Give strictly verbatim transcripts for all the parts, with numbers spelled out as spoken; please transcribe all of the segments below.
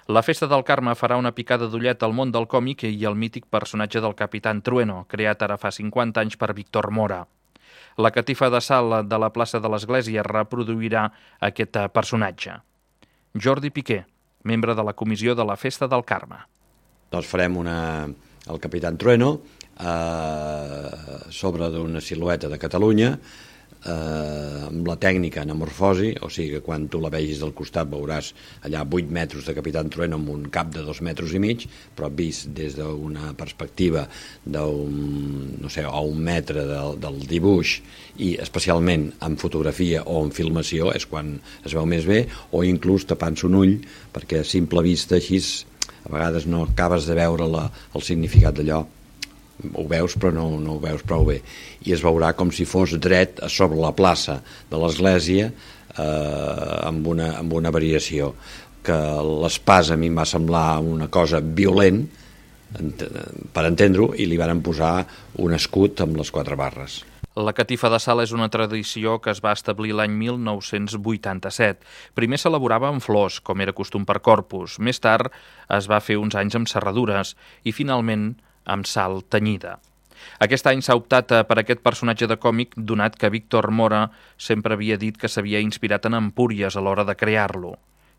La Festa del Carme farà una picada d'ullet al món del còmic i al mític personatge del Capitán Trueno, creat ara fa cinquanta anys per Víctor Mora. La catifa de sal de la plaça de l'Església reproduirà aquest personatge. Jordi Piqué, membre de la comissió de la Festa del Carme. Doncs farem una, el Capitán Trueno eh, sobre d'una silueta de Catalunya, eh, amb la tècnica anamorfosi, o sigui que quan tu la vegis del costat veuràs allà vuit metres de Capitán Trueno amb un cap de dos metres i mig, però vist des d'una perspectiva d'un, no sé, a un metre del, del dibuix, i especialment en fotografia o en filmació és quan es veu més bé, o inclús tapant-se un ull, perquè a simple vista així a vegades no acabes de veure la, el significat d'allò. Ho veus però no, no ho veus prou bé, i es veurà com si fos dret a sobre la plaça de l'església, eh, amb, una, amb una variació que l'espasa a mi em va semblar una cosa violent per entendre-ho, i li varen posar un escut amb les quatre barres. La catifa de sal és una tradició que es va establir l'any mil nou-cents vuitanta-set. Primer s'elaborava amb flors, com era costum per Corpus. Més tard es va fer uns anys amb serradures i finalment amb sal tenyida. Aquest any s'ha optat per aquest personatge de còmic, donat que Víctor Mora sempre havia dit que s'havia inspirat en Empúries a l'hora de crear-lo,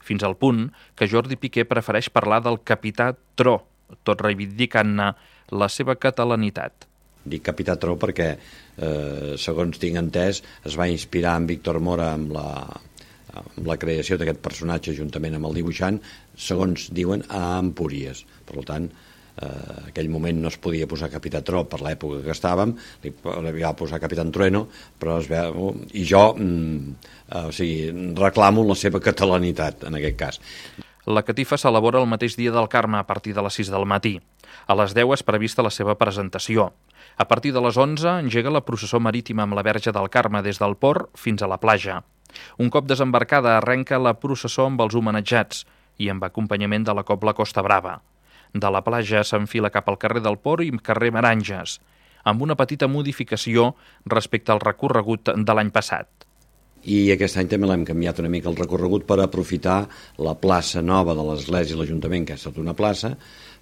fins al punt que Jordi Piqué prefereix parlar del Capità Tro, tot reivindicant-ne la seva catalanitat. Dic Capità Tro perquè, eh, segons tinc entès, es va inspirar en Víctor Mora amb la, amb la creació d'aquest personatge juntament amb el dibuixant, segons diuen, a Empúries. Per tant, en uh, aquell moment no es podia posar Capità Tro per l'època que estàvem, li, li va posar Capitán Trueno, però es veu, i jo mm, uh, o sigui, reclamo la seva catalanitat en aquest cas. La catifa s'elabora el mateix dia del Carme a partir de les sis del matí. A les deu és prevista la seva presentació. A partir de les onze engega la processó marítima amb la Verge del Carme des del port fins a la platja. Un cop desembarcada arrenca la processó amb els homenatjats i amb acompanyament de la Cobla Costa Brava. De la platja s'enfila cap al carrer del Port i carrer Meranges, amb una petita modificació respecte al recorregut de l'any passat. I aquest any també l'hem canviat una mica el recorregut per aprofitar la plaça nova de l'Església i l'Ajuntament, que ha estat una plaça.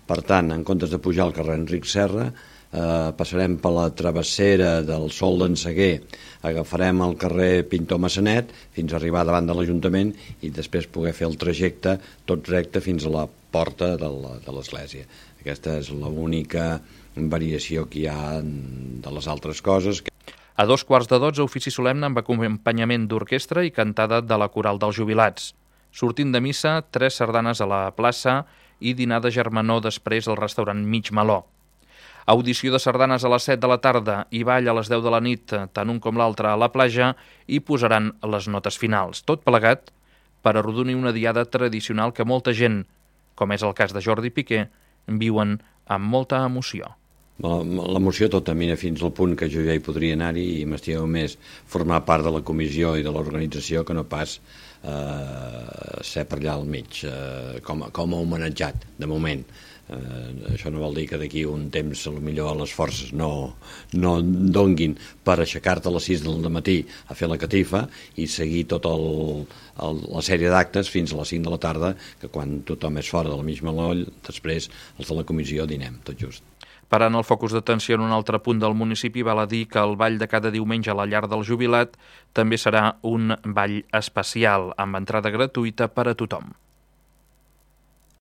Per tant, en comptes de pujar al carrer Enric Serra, eh, passarem per la travessera del Sol d'en Seguer, agafarem el carrer Pintor Massanet fins a arribar davant de l'Ajuntament i després poder fer el trajecte tot recte fins a la porta de l'església. Aquesta és l'única variació que hi ha de les altres coses. A dos quarts de dotze, ofici solemne amb acompanyament d'orquestra i cantada de la coral dels jubilats. Sortint de missa, tres sardanes a la plaça i dinar de germanor després al restaurant Mig Meló. Audició de sardanes a les set de la tarda i ball a les deu de la nit, tant un com l'altre a la platja, i posaran les notes finals. Tot plegat per arrodonir una diada tradicional que molta gent, com és el cas de Jordi Piqué, viuen amb molta emoció. L'emoció tota, mira, fins al punt que jo ja hi podria anar-hi i m'estigueu més formar part de la comissió i de l'organització que no pas eh, ser per allà al mig, eh, com, com a homenatjat, de moment. Eh, això no vol dir que d'aquí un temps potser les forces no, no donguin per aixecar-te a les sis del matí a fer la catifa i seguir tota la sèrie d'actes fins a les cinc de la tarda, que quan tothom és fora del mig meloll, després els de la comissió dinem, tot just. Parant el focus d'atenció en un altre punt del municipi, val a dir que el ball de cada diumenge a la llar del jubilat també serà un ball especial, amb entrada gratuïta per a tothom.